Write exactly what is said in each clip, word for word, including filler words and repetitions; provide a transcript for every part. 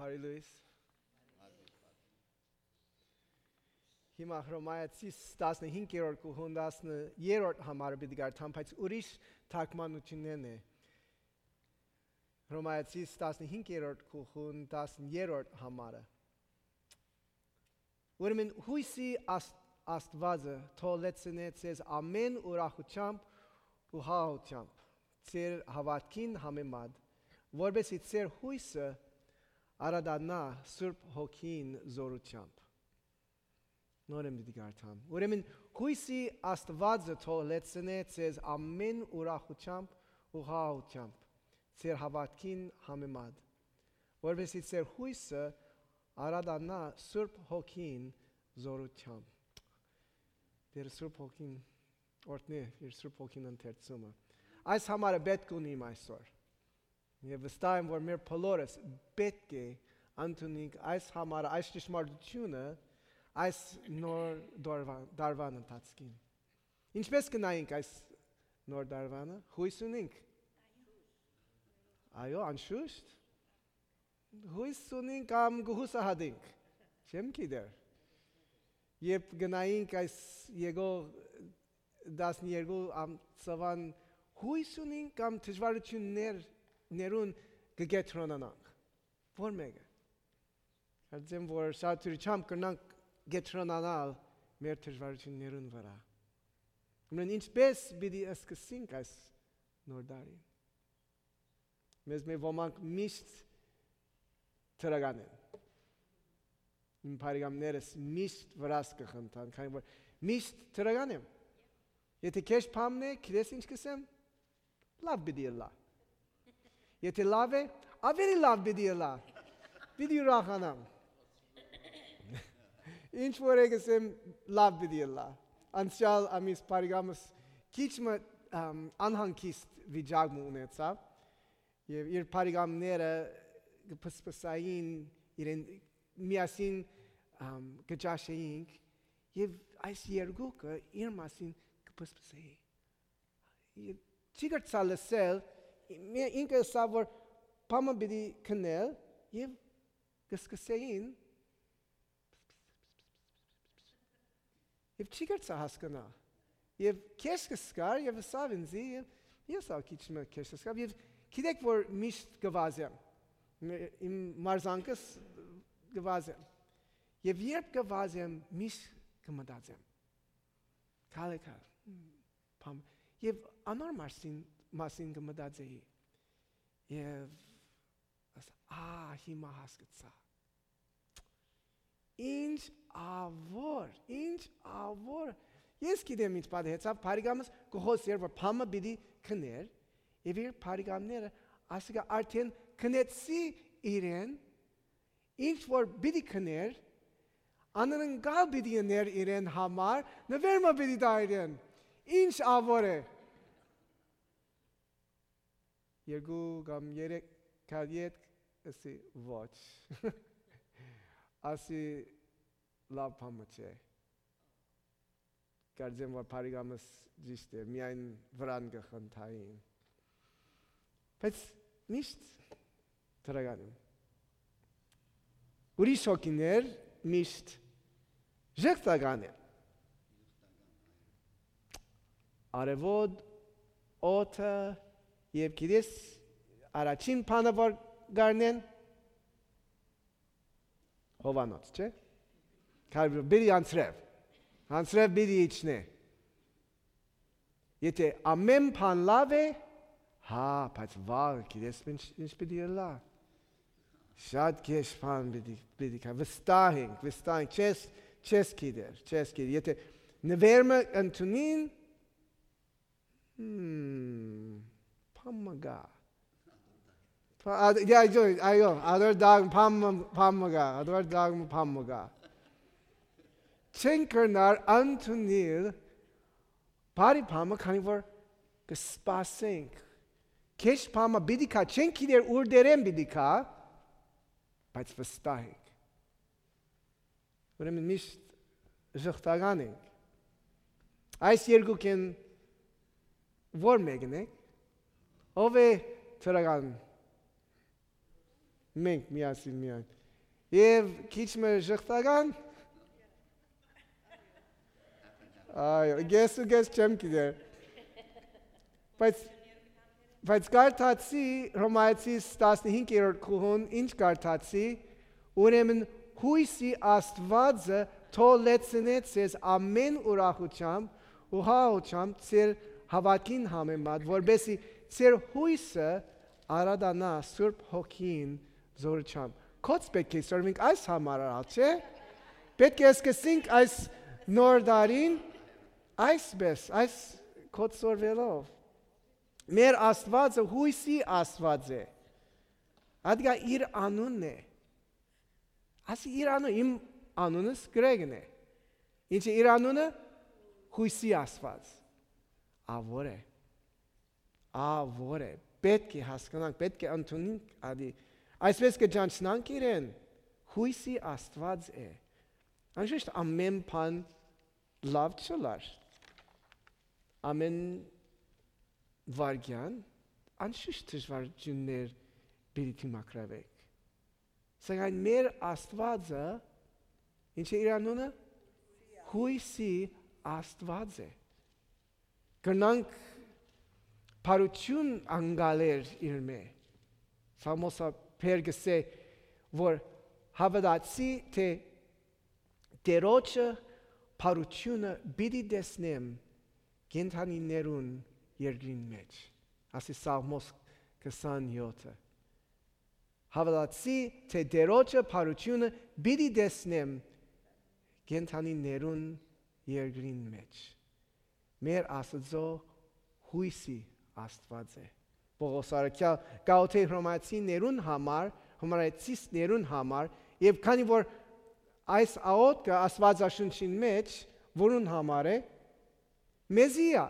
Բարի լոյս։ Հիմա Հռոմայացիս տասնհինգերորդ գլխուն տասներկրորդ համարը պիտի կարդամ, բայց ուրիշ թարգմանութիւններն է։ Հռոմայացիս տասնհինգերորդ գլխուն տասներկրորդ համարը։ Ուրեմն յոյսի Աստ-, Աստուածը թող լեցնէ ձեզ ամէն ուրախութեամբ ու խաղաղութեամբ, ձեր հաւատքին համեմատ, որպէս զի ձեր յոյսը արատանայ Սուրբ Հոգին զօրութեամբ։ Նորէն պիտի կարդամ։ Ուրեմն յոյսի Աստուածը թող լեցնէ ձեզ ամէն ուրախութեամբ ու խաղաղութեամբ, ձեր հաւատքին համեմատ, որպէս զի ձեր յոյսը արատանայ Սուրբ Հոգին զօրութեամբ։ Տէր Սուրբ Հոգին օրհնէ իր Սուրբ Հոգին ընթերցումը։ Այս համարը պէտք ունիմ այսօր։ Եւ վստահ եմ, որ մեր բոլորս պէտք է ընդունենք այս համարը, այս ճշմարտութիւնը, այս նոր դարվան, դարվան ընթացքին։ Ինչպէս կը նայենք այս նոր դարվանը, յոյս ունենք։ Այո, անշուշտ։ Յոյս ունենք կամ կը յուսահատենք։ Չեմ գիտեր։ Երբ գնայինք այս եկող տասներկու ամսուան, յոյս ունենք կամ դժվարութիւններ, ներուն կը կեդրոնանանք։ Ո՞ր մէկը։ Կարծեմ, որ շատ դրությամբ կրնանք կեդրոնանալ մեր դժվարութիւններուն վրայ։ Ուրեմն ինչպէս պիտի սկսենք այս նոր տարին։ Մեզմէ ոմանք միշտ դրական են։ Իմ բարեկամներս միշտ վրաս կը խնդան, քանի որ միշտ դրական եմ։ Եթե քեշ բամն է, գիտես ինչ կ'ըսեմ, լաւ պիտի ըլլայ։ Եթե լաւ է, աւելի լաւ պիտի ըլլայ։ Պիտի ուրախանամ։ Ինչ որ է կ'ըսեմ, լաւ պիտի ըլլայ։ Անցեալ ամիս բարեկամս քիչ մը, ամ, անհանգիստ վիճակ մը ունեցաւ եւ իր բարեկամները կը փսփսային իրեն միասին, ամ, կը ճաշեինք եւ այս երկուքը իր մասին կը փսփսեին։ Եւ չի կրցա լսել, մի-, ինքը ըսաւ, որ բամը պիտի քնել եւ կը սկսեին եւ չի կրցա հասկնալ։ Եւ քեշ կը սկար եւ ըսաւ ինձի, եւ ես ալ քիչ մը քեշ կը սկար, եւ գիտեք որ միշտ կը վազեմ, մե-, իմ մարզանքս կը վազեմ։ Եւ երբ կը վազեմ, միշտ կը մտածեմ։ Քալը քալ, հմ, բամ, եւ անոր մասին, մասին կը մտածեի։ Եւ ասա, «Ա, հիմա հասկացայ։ Ինչ ավոր, ինչ ավոր»։ Ես գիտեմ ինչ պատահեցաւ, բարեկամս կը խօսէր, որ բամը պիտի քներ, եւ իր բարեկամները, ասիկա արդեն քնեցի իրեն, ինչ որ պիտի քներ, անընդհատ պիտի ըներ իրեն համար, նուէր մը պիտի տայ իրեն։ Ինչ ավոր է։ Երկու կամ երեք քայլ ետք ըսի, «Ոչ»։ Ասի, «Լաւ բան մը չէ»։ Կարծեմ որ բարեկամս ճիշդ է, միայն վրան կը խնդային։ Բայց միշտ դրական եմ։ Ուրիշ հոգիներ միշտ ժխտական են։ Արեւոտ, օդը, եւ գիտես, առաջին բանը որ գարնեն, հովանոց, չէ՞։ Քարբի-, պիտի անցրեւ։ Անցրեւ պիտի իջնէ։ Եթե ամեն բան լաւ է, հա, բայց վաղը գիտես ինչ, ինչ պիտի ըլլայ։ Շատ քեշ բան պիտի, պիտի կա, վստահ ենք, վստահ ենք, չես, չես գիտեր, չես գիտեր։ Եթե նվեր մը ընդունին, հմ, բան մը գայ։ Փա-, ա-, yeah, այո, այո, ադոր դագ-, բան մը, բան մը գայ, ադոր դագ-, բան մը գայ։ Չեն կրնար ընդունիլ բարի բան մը, քանի որ կը սպասենք։ Քեշ բան մը պիտի գայ, չեն գիտեր ուր դերեն պիտի գայ, բայց վստահ ենք։ Ուրեմն միշտ ժխտական ենք։ Այս երկուքէն ո՞ր մեկն է, ո՞վ է դրական։ Մենք միասին միայն։ Եւ քիչ մը ժխտական։ Այո, կես ու կես չեմ գիտեր։ Բայց, բայց կարդացի Հռոմայեցիս տասնհինգերորդ գլխուն, ինչ կարդացի, ուրեմն յոյսի Աստուածը թող լեցնէ ձեզ ամէն ուրախութեամբ ու հաուչեամբ ձեր հաւատքին համեմատ, որպեսզի ձեր յոյսը արատանայ Սուրբ Հոգին զորութեամբ։ Կոց պէտք է սորվենք այս համար արալ, չէ՞։ Պէտք է սկսենք այս նոր տարին այսպէս, այս կոց սորվելով։ Մեր Աստուածը յոյսի Աստուած է։ Ատկա իր անունն է։ Ասի իր անունը, իմ անունս Գրեգն է։ Ինչ է իր անունը։ Յոյսի Աստուած։ Ա ո՞ր է։ Ա ո՞ր է։ Պէտք է հասկանանք, պէտք է ընդունենք ադի։ Այսպէս կը ճանչնանք իրեն։ Յոյսի Աստուած է։ Անշուշտ ամէն բան լաւ չըլար։ Ամէն վայրկեան անշուշտ դժվարութիւններ պիտի դիմագրաւեք։ Սակայն մեր Աստուածը, ինչ է իր անունը։ Յոյսի Աստուած է։ Կրնանք բարութիւն անկալել իրմէ։ Սաղմոսաբեր կ'ըսէ, որ հաւատացի թէ Տիրոջը բարութիւնը պիտի տեսնեմ կենդանիներուն երկրին մէջ։ Ասի Սաղմոս քսանեօթը։ Հաւատացի թէ Տիրոջը բարութիւնը պիտի տեսնեմ կենդանիներուն երկրին մէջ։ Մեր Աստուծոյ յոյսի Աստուած է։ Պողոս առաքեալ կ'աւդէ Հռոմայեցիներուն համար, Հռոմայեցիներուն համար, եւ քանի որ այս աղօթքը Աստուածաշունչին մէջ որուն համար է։ Մեզի ա,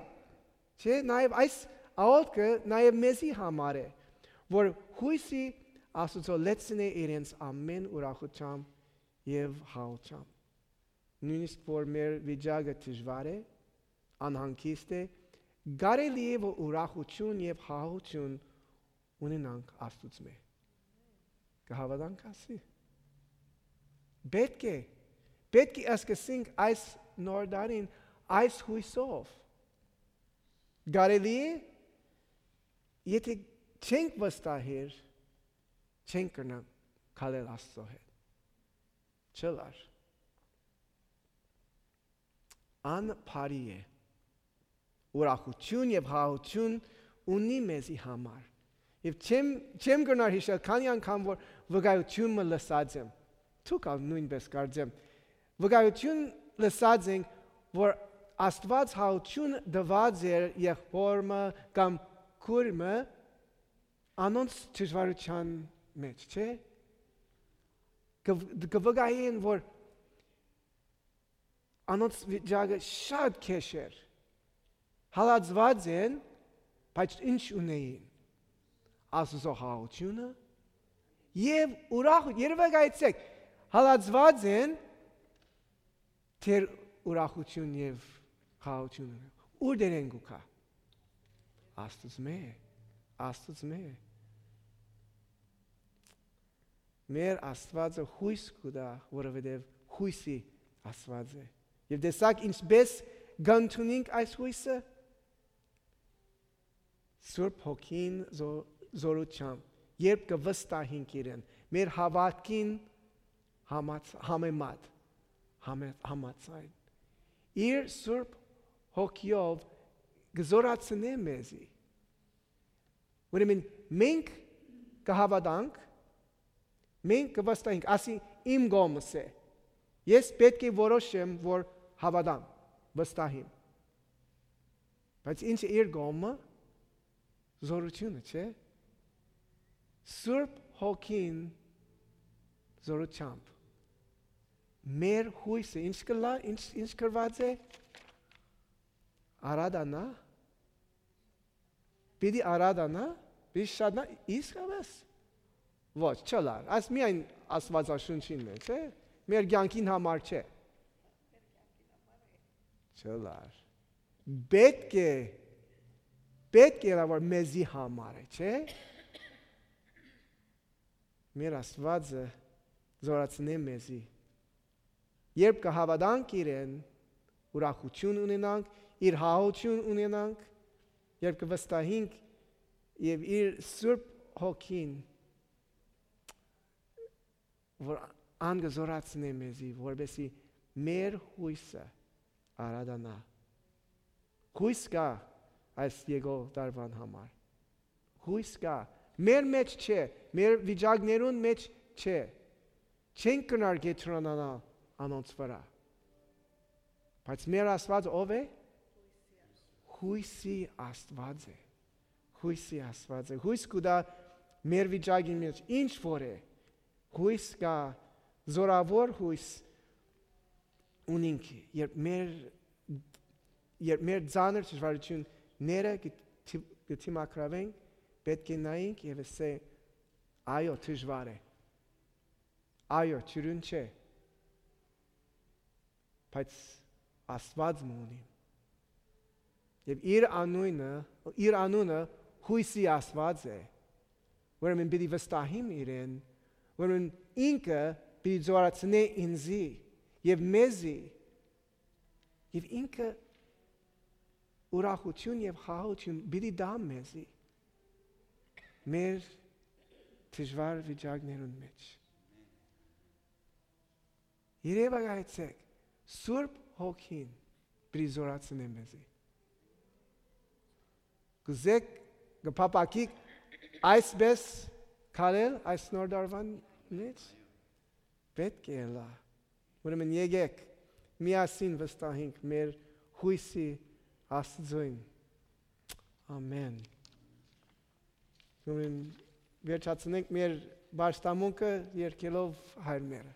չէ՞։ Նաեւ այս աղօթքը նաեւ մեզի համար է, որ յոյսի Աստուծոյ լեցնէ իրենց ամէն ուրախութեամբ եւ հաուչեամբ։ Նոյնիսկ որ մեր վիճակը դժուար է, անհանգիստ է, կարելի է որ ուրախութիւն եւ հաուչիւն ունենանք Աստուծմէ։ Կը հաւատանք ասի։ Պէտք է, պէտք է սկսենք այս նոր տարին այս յոյսով։ Կարելի է, եթէ չենք վստահեր, չենք կրնանք քալել Աստծո հետ։ Չըլար։ Ան բարի է։ Ուրախութիւն եւ հաուչիւն ունի մեզի համար։ Եւ չեմ, չեմ կրնար յիշել քանի անգամ որ վկայութիւն մը լսած եմ։ Դուք ալ նոյնպէս կարծեմ։ Վկայութիւն լսած ենք, որ Աստուած հաուչիւն տուած էր եղբոր մը կամ քուր մը անոնց դժուարութեան մէջ, չէ՞։ Կը, կը վկայեն, որ անոնց վիճակը շատ քեշ էր։ Հալածուած են, բայց ինչ ունէին։ Աստուծոյ հաուչիւնը եւ ուրախ, երևակայեցեք, հալածուած են, թեր ուրախութիւն եւ հաուչիւնը։ Ուրդերէն կու գայ։ Աստուծմէ, Աստուծմէ։ Մեր Աստուածը յոյս կու տայ, որովհետեւ յոյսի Աստուած է։ Եւ տեսակ ինչպէս կընդունենք այս յոյսը։ Սուրբ Հոգին զո-, զորութեամբ, երբ կը վստահենք իրեն, մեր հաւատքին համաց-, համեմատ, համե-, համաձայն, իր Սուրբ Հոգիով կը զորացնէ մեզի։ Ուրեմն մենք կը հաւատանք, մենք կը վստահենք, ասի իմ կողմս է։ Ես պէտք է որոշեմ, որ հաւատամ, վստահիմ։ Բայց ինչ է իր կողմը, զորութիւնը, չէ՞։ Սուրբ Հոգին զորութեամբ մեր յոյսը ինչ կլա, ինչ, ինչ գրված է, արատանայ, պիտի արատանայ, պիտի շատնայ, իսկապես։ Ոչ, չլար, այս միայն Աստուածաշունչին մէջ է, մեր կյանքին համար չէ։ Չլար։ Պէտք է, պէտք է ըլլայ որ մեզի համար է, չէ՞։ Մեր Աստուածը զորացնէ մեզի։ Երբ կը հաւատանք իրեն, ուրախութիւն ունենանք, իր հաւութիւն ունենանք, երբ կը վստահինք եւ իր Սուրբ Հոգին, որ ան կը զորացնէ մեզի, որպեսզի մեր յոյսը արատանայ։ Յոյս կայ այս եկող տարուան համար։ Յոյս կայ։ Մեր մէջ չէ, մեր վիճակներուն մէջ չէ։ Չենք կրնար կեդրոնանալ անոնց վրայ։ Բայց մեր Աստուածը ո՞վ է։ Յոյսի Աստուած է։ Յոյսի Աստուած է։ Յոյս կու տայ մեր վիճակի մէջ, ինչ որ է։ Յոյս կայ, զորաւոր յոյս ունինք, երբ մեր, երբ մեր ծանր դժվարութիւնները կը դի-, կը դիմագրաւենք, պէտք է նայենք եւ ասենք. «Այո, դժուար է։ Այո, դիւրին չէ, բայց Աստուած մը ունիմ»։ Եւ իր անունը, իր անունը յոյսի Աստուած է, ուրեմն պիտի վստահիմ իրեն, ուրեմն ինքը պիտի զորացնէ ինծի եւ մեզի, եւ ինքը ուրախութիւն եւ հաւութիւն պիտի տայ մեզի մեր դժուար վիճակներուն մէջ։ Երեւակայեցէք, Սուրբ Հոգին պիտի զորացնէ մեզի։ Կուզէք, կը փափաքիք այսպէս քալել այս նոր տարուան մէջ։ Պէտք է ըլլայ։ Ուրեմն եկէք, միասին վստահենք մեր յոյսի Աստուծոյն։ Ամեն։ Ուրեմն վերջացնենք մեր պաշտամունքը երգելով հայրմերը։